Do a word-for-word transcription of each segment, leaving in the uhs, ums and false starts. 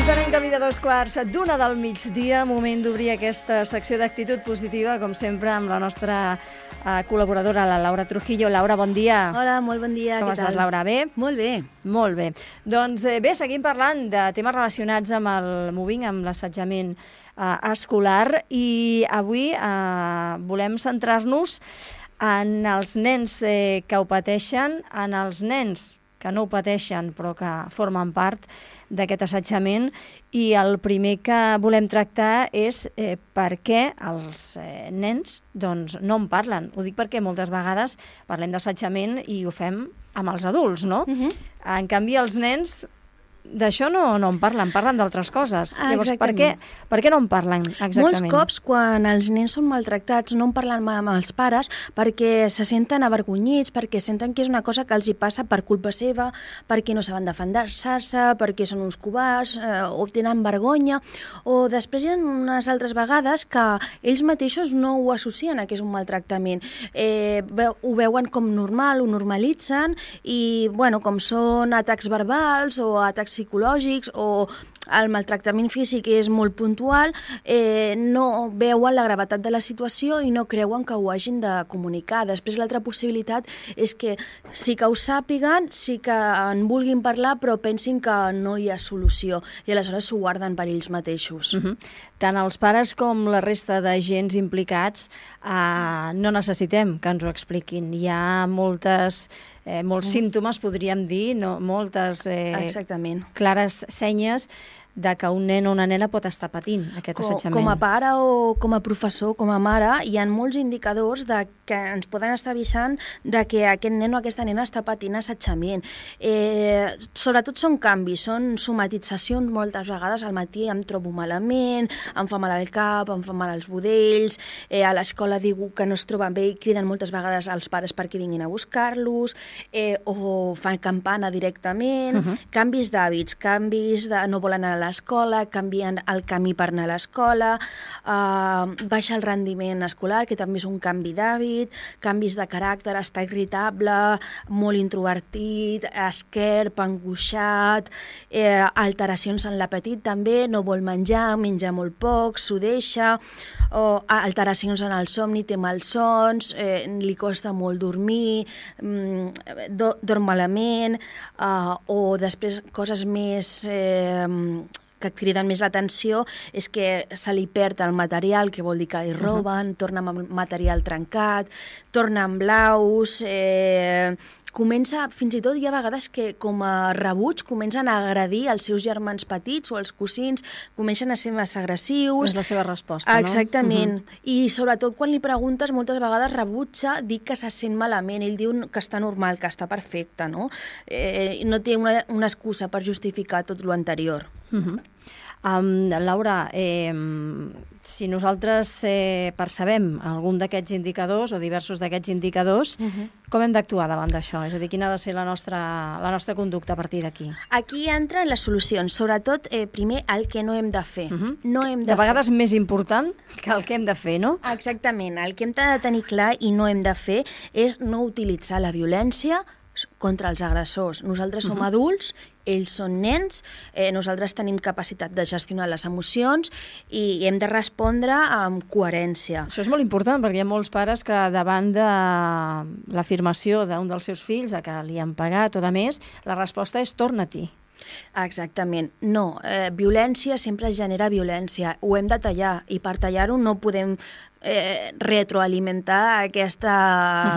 Ens anem camí de dos quarts d'una del migdia, moment d'obrir aquesta secció d'actitud positiva, com sempre, amb la nostra eh, col·laboradora, la Laura Trujillo. Laura, bon dia. Hola, molt bon dia. Com Què estàs, tal? Laura? Bé? Molt bé. Molt bé. Doncs eh, bé, seguim parlant de temes relacionats amb el moving, amb l'assetjament eh, escolar, i avui eh, volem centrar-nos en els nens eh, que ho pateixen, en els nens que no ho pateixen però que formen part d'aquest assetjament, i el primer que volem tractar és eh, per què els eh, nens doncs, no en parlen. Ho dic perquè moltes vegades parlem d'assetjament i ho fem amb els adults, no? Uh-huh. En canvi, els nens d'això no, no en parlen, parlen d'altres coses. Ah, Llavors, per què, per què no en parlen exactament? Molts cops, quan els nens són maltractats, no en parlen mai amb els pares perquè se senten avergonyits, perquè senten que és una cosa que els hi passa per culpa seva, perquè no saben defensar-se, perquè són uns covards, eh, o tenen vergonya, o després hi ha unes altres vegades que ells mateixos no ho associen a que és un maltractament. Eh, veu, ho veuen com normal, ho normalitzen, i bueno, com són atacs verbals o atacs psicològics o el maltractament físic és molt puntual, eh, no veuen la gravetat de la situació i no creuen que ho hagin de comunicar. Després l'altra possibilitat és que sí que ho sàpiguen, sí que en vulguin parlar, però pensin que no hi ha solució i aleshores s'ho guarden per ells mateixos. Uh-huh. Tant els pares com la resta d'agents implicats eh, no necessitem que ens ho expliquin. Hi ha moltes, eh, molts mm. símptomes, podríem dir, no? moltes eh, Exactament. clares senyes de que un nen o una nena pot estar patint aquest com, assetjament. Com a pare o com a professor, com a mare, hi ha molts indicadors de que ens poden estar avisant de que aquest nen o aquesta nena està patint assetjament. Eh, sobretot són canvis, són somatitzacions. Moltes vegades al matí em trobo malament, em fa mal al cap, em fa mal als budells, eh, a l'escola diu que no es troben bé i criden moltes vegades als pares perquè vinguin a buscar-los, eh, o fan campana directament, uh-huh. canvis d'hàbits, canvis de no volen anar a l'escola, canvien el camí per anar a l'escola, eh, baixa el rendiment escolar, que també és un canvi d'hàbit, canvis de caràcter, està irritable, molt introvertit, esquerp, angoixat, eh, alteracions en l'apetit també, no vol menjar, menja molt poc, s'ho deixa, o alteracions en el somni, té malsons, eh, li costa molt dormir, mm, do, dorm malament, eh, o després coses més eh, que criden més l'atenció és que se li perd el material, que vol dir que hi roben, uh-huh. torna amb material trencat, torna amb blaus, eh, comença, fins i tot hi ha vegades que com a rebuig comencen a agredir els seus germans petits o els cosins, comencen a ser massa agressius. És la seva resposta, no? Exactament. Uh-huh. I sobretot quan li preguntes, moltes vegades rebutja dir que se sent malament. Ell diu que està normal, que està perfecte, no? Eh, no té una, una excusa per justificar tot lo anterior. Uh-huh. Um, Laura, eh, si nosaltres eh, percebem algun d'aquests indicadors o diversos d'aquests indicadors, uh-huh. com hem d'actuar davant d'això? És a dir, quina ha de ser la nostra, la nostra conducta a partir d'aquí? Aquí entren les solucions, sobretot eh, primer el que no hem de fer. Uh-huh. No hem de, de vegades fer. Més important que el que hem de fer, no? Exactament, el que hem de tenir clar i no hem de fer és no utilitzar la violència contra els agressors. Nosaltres som uh-huh. adults, ells són nens, eh, nosaltres tenim capacitat de gestionar les emocions i hem de respondre amb coherència. Això és molt important perquè hi ha molts pares que davant de l'afirmació d'un dels seus fills a que li han pagat o de més, la resposta és torna-t'hi. Exactament. No, eh, violència sempre genera violència. Ho hem de tallar i per tallar-ho no podem eh, retroalimentar aquesta,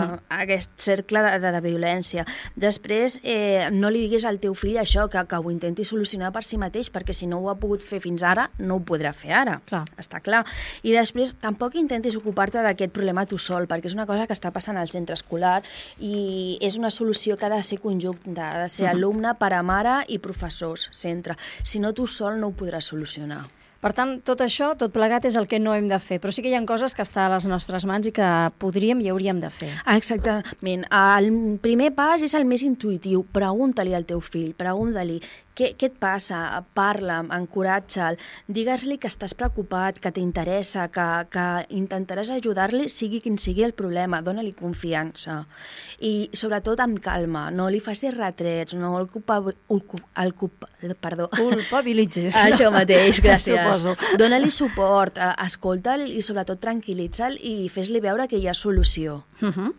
uh-huh. aquest cercle de, de, de violència. Després, eh, no li diguis al teu fill això, que, que ho intenti solucionar per si mateix, perquè si no ho ha pogut fer fins ara, no ho podrà fer ara. Clar. Està clar. I després, tampoc intentis ocupar-te d'aquest problema tu sol, perquè és una cosa que està passant al centre escolar i és una solució que ha de ser conjunta, ha de ser uh-huh. alumne, pare, mare i professors, centre. Si no, tu sol no ho podràs solucionar. Per tant, tot això, tot plegat, és el que no hem de fer. Però sí que hi ha coses que estan a les nostres mans i que podríem i hauríem de fer. Exactament. El primer pas és el més intuïtiu. Pregunta-li al teu fill, pregunta-li què, què et passa? Parla'm, encoratja'l, digues-li que estàs preocupat, que t'interessa, que, que intentaràs ajudar-li, sigui quin sigui el problema, dóna-li confiança. I sobretot amb calma, no li facis retrets, no el culpa... El, el, el, perdó. Culpabilitzes. Això mateix, gràcies. Suposo. Dóna-li suport, escolta'l i sobretot tranquil·litza'l i fes-li veure que hi ha solució. Uh -huh.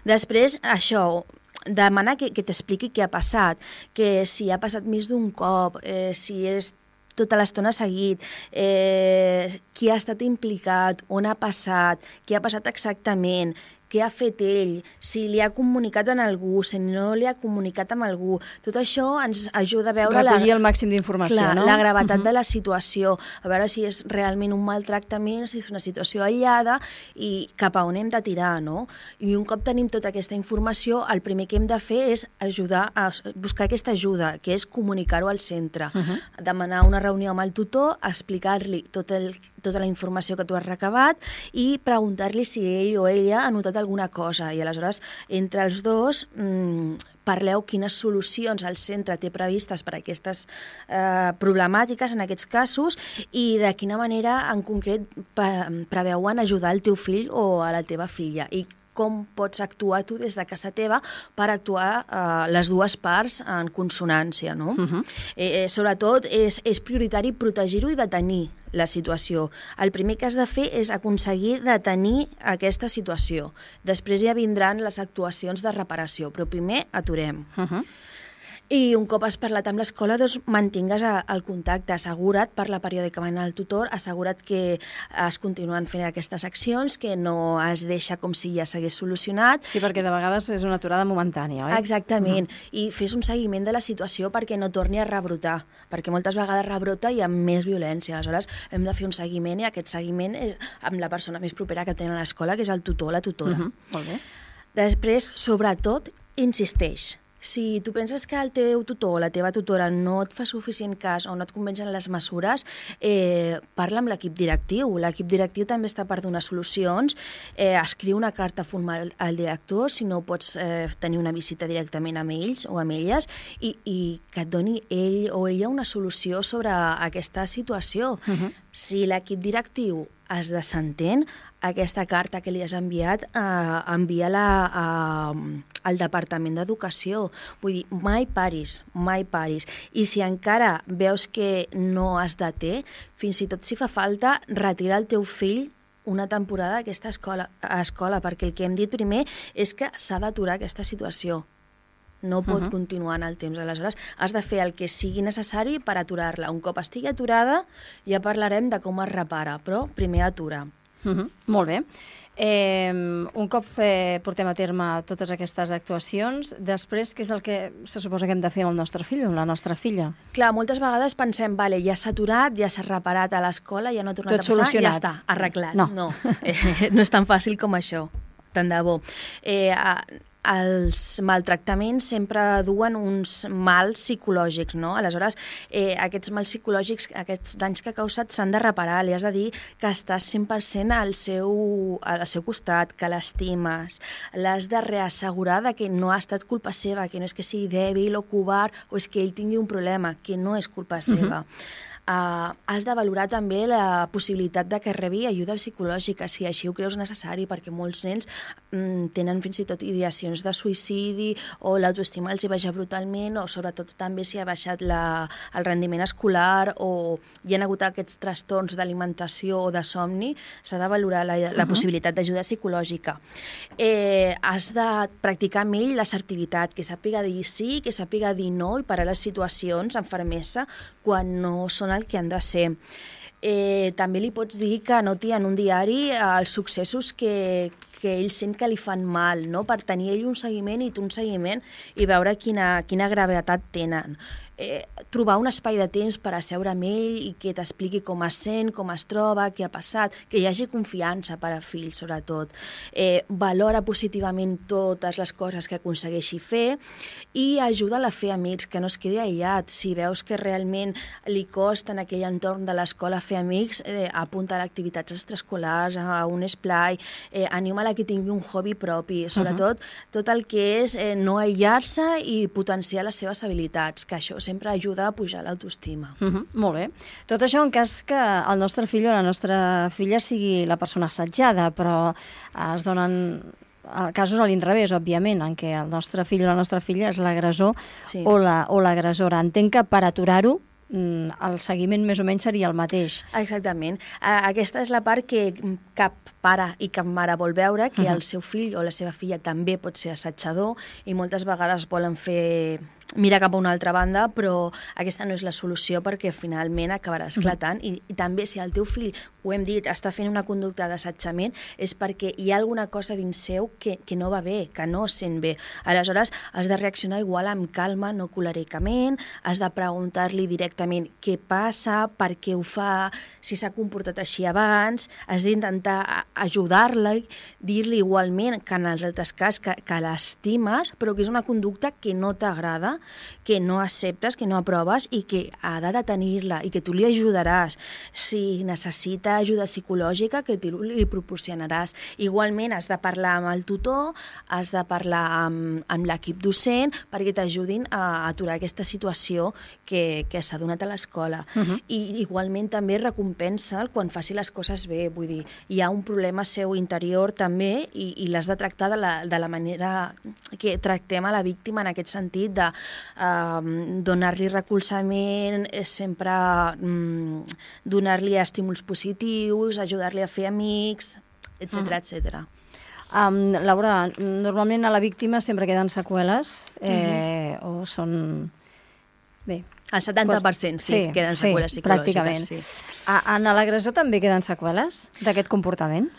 Després, això, demana que, que t'expliqui què ha passat, que si ha passat més d'un cop, eh, si és tota l'estona seguit, eh, qui ha estat implicat, on ha passat, què ha passat exactament, què ha fet ell, si li ha comunicat amb algú, si no li ha comunicat amb algú. Tot això ens ajuda a veure recollir la, el màxim d'informació, clar, no? la gravetat uh-huh. de la situació, a veure si és realment un maltractament, si és una situació aïllada i cap a on hem de tirar, no? I un cop tenim tota aquesta informació, el primer que hem de fer és ajudar a buscar aquesta ajuda, que és comunicar-ho al centre, uh-huh. demanar una reunió amb el tutor, explicar-li tot el, tota la informació que tu has recabat i preguntar-li si ell o ella ha notat alguna cosa i aleshores entre els dos mmm, parleu quines solucions el centre té previstes per a aquestes eh, problemàtiques en aquests casos i de quina manera en concret preveuen ajudar el teu fill o a la teva filla i com pots actuar tu des de casa teva per actuar eh, les dues parts en consonància, no? Uh-huh. eh, eh, sobretot és, és prioritari protegir-ho i detenir la situació. El primer que has de fer és aconseguir detenir aquesta situació. Després ja vindran les actuacions de reparació, però primer aturem. Uh-huh. I un cop has parlat amb l'escola, doncs mantingues el contacte, assegura't, parla periòdicament al tutor, assegura't que es continuen fent aquestes accions, que no es deixa com si ja s'hagués solucionat. Sí, perquè de vegades és una aturada momentània, oi? Exactament, uh-huh. i fes un seguiment de la situació perquè no torni a rebrotar, perquè moltes vegades rebrota i amb més violència. Aleshores, hem de fer un seguiment i aquest seguiment és amb la persona més propera que tenen a l'escola, que és el tutor o la tutora. Uh-huh. Molt bé. Després, sobretot, insisteix. Si tu penses que el teu tutor o la teva tutora no et fa suficient cas o no et convencen les mesures, eh, parla amb l'equip directiu. L'equip directiu també està per donar solucions. Eh, escriu una carta formal al director, si no pots eh, tenir una visita directament amb ells o amb elles, i, i que et doni ell o ella una solució sobre aquesta situació. Uh-huh. Si l'equip directiu es desentén, aquesta carta que li has enviat, eh, envia-la a, al Departament d'Educació. Vull dir, mai paris, mai paris. I si encara veus que no es deté, fins i tot si fa falta, retira el teu fill una temporada d'aquesta escola, escola, perquè el que hem dit primer és que s'ha d'aturar aquesta situació. No pot uh-huh. continuar en el temps. Aleshores, has de fer el que sigui necessari per aturar-la. Un cop estigui aturada, ja parlarem de com es repara, però primer atura. Uh-huh. Molt bé. Eh, un cop eh, portem a terme totes aquestes actuacions, després què és el que se suposa que hem de fer amb el nostre fill o amb la nostra filla? Clar, moltes vegades pensem, vale, ja s'ha aturat, ja s'ha reparat a l'escola, ja no ha tornat Tot a passar, solucionat. ja està, arreglat. No, no, eh, no és tan fàcil com això, tant de bo. Eh, els maltractaments sempre duen uns mals psicològics, no? Aleshores, eh, aquests mals psicològics, aquests danys que ha causat s'han de reparar, li has de dir que estàs cent per cent al seu, al seu costat, que l'estimes, l'has de reassegurar de que no ha estat culpa seva, que no és que sigui dèbil o covard o és que ell tingui un problema, que no és culpa seva. Uh-huh. Uh, has de valorar també la possibilitat de que rebi ajuda psicològica, si així ho creus necessari, perquè molts nens mm, tenen fins i tot ideacions de suïcidi o l'autoestima els hi baixa brutalment o sobretot també si ha baixat la, el rendiment escolar o hi ha hagut aquests trastorns d'alimentació o de somni, s'ha de valorar la, la uh-huh. possibilitat d'ajuda psicològica. Eh, has de practicar amb ell l'assertivitat, que sàpiga dir sí, que sàpiga dir no i parar les situacions amb fermesa quan no són el que han de ser. Eh, també li pots dir que anoti en un diari els successos que, que ell sent que li fan mal, no? Per tenir ell un seguiment i tu un seguiment i veure quina, quina gravetat tenen. Eh, trobar un espai de temps per asseure amb ell i que t'expliqui com es sent, com es troba, què ha passat, que hi hagi confiança per a fill, sobretot. Eh, valora positivament totes les coses que aconsegueixi fer i ajuda-la a fer amics, que no es quedi aïllat. Si veus que realment li costa en aquell entorn de l'escola fer amics, eh, apunta a activitats extraescolars, a un esplai, eh, anima-la que tingui un hobby propi, sobretot uh-huh. tot el que és eh, no aïllar-se i potenciar les seves habilitats, que això sempre ajuda a pujar l'autoestima. Uh -huh, molt bé. Tot això en cas que el nostre fill o la nostra filla sigui la persona assetjada, però es donen casos a l'inrevés, òbviament, en què el nostre fill o la nostra filla és l'agressor sí. o l'agressora. La, Entenc que per aturar-ho el seguiment més o menys seria el mateix. Exactament. Aquesta és la part que cap pare i cap mare vol veure, que uh -huh. el seu fill o la seva filla també pot ser assetjador i moltes vegades volen fer mira cap a una altra banda, però aquesta no és la solució perquè finalment acabarà esclatant. Uh-huh. I, I també si el teu fill, ho hem dit, està fent una conducta d'assetjament és perquè hi ha alguna cosa dins seu que, que no va bé, que no sent bé. Aleshores, has de reaccionar igual amb calma, no colericament, has de preguntar-li directament què passa, per què ho fa, si s'ha comportat així abans, has d'intentar ajudar-la, dir-li igualment que en els altres casos que, que l'estimes, però que és una conducta que no t'agrada, que no acceptes, que no aproves i que ha de detenir-la i que tu li ajudaràs. Si necessita ajuda psicològica, que tu li proporcionaràs. Igualment has de parlar amb el tutor, has de parlar amb, amb l'equip docent perquè t'ajudin a aturar aquesta situació que, que s'ha donat a l'escola. Uh -huh. I igualment també recompensa'l quan faci les coses bé. Vull dir, hi ha un problema seu interior també i, i l'has de tractar de la, de la manera que tractem a la víctima en aquest sentit de Uh, donar-li recolzament, sempre um, donar-li estímuls positius, ajudar-li a fer amics, etcètera, uh-huh. etcètera. Um, Laura, normalment a la víctima sempre queden seqüeles eh, uh-huh. o són... Bé, el setanta per cent sí, sí queden seqüeles sí, psicològiques. Pràcticament. Sí. A, en l'agressor també queden seqüeles d'aquest comportament?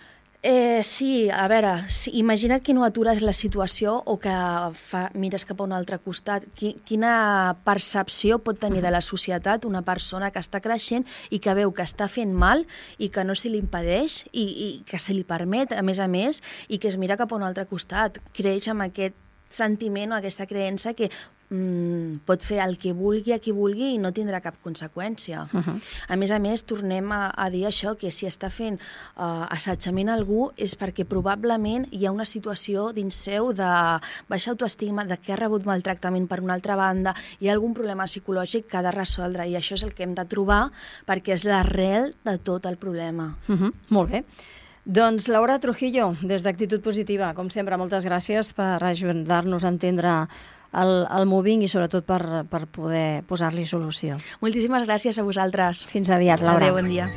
Eh, sí, a veure, sí, imagina't que no atures la situació o que fa, mires cap a un altre costat. Qui, quina percepció pot tenir de la societat una persona que està creixent i que veu que està fent mal i que no se li impedeix i, i que se li permet, a més a més, i que es mira cap a un altre costat. Creix amb aquest sentiment o aquesta creença que mm, pot fer el que vulgui a qui vulgui i no tindrà cap conseqüència. Uh -huh. A més a més, tornem a, a dir això, que si està fent uh, assetjament a algú és perquè probablement hi ha una situació dins seu de baixa autoestima, de que ha rebut maltractament per una altra banda, hi ha algun problema psicològic que ha de resoldre i això és el que hem de trobar perquè és l'arrel de tot el problema. Uh -huh. Molt bé. Doncs Laura Trujillo, des d'Actitud Positiva, com sempre, moltes gràcies per ajudar-nos a entendre el, el mobbing i sobretot per, per poder posar-li solució. Moltíssimes gràcies a vosaltres. Fins aviat, Laura. Adéu, bon dia.